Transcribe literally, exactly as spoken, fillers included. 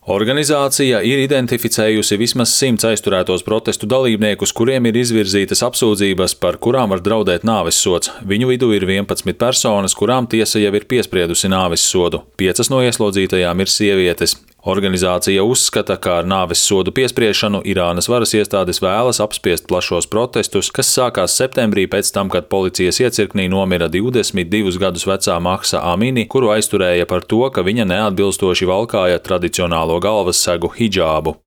Organizācija ir identificējusi vismaz simts aizturētos protestu dalībniekus, kuriem ir izvirzītas apsūdzības, par kurām var draudēt nāvessods. Viņu vidū ir vienpadsmit personas, kurām tiesa jau ir piespriedusi nāvessodu. Piecas no ieslodzītajām ir sievietes. Organizācija uzskata, ka ar nāvessodu piespriešanu Irānas varas iestādes vēlas apspiest plašos protestus, kas sākās septembrī pēc tam, kad policijas iecirknī nomira divdesmit divus gadus vecā Mahsa Amini, kuru aizturēja par to, ka viņa neatbilstoši valkāja tradicionālo galvassegu hidžābu.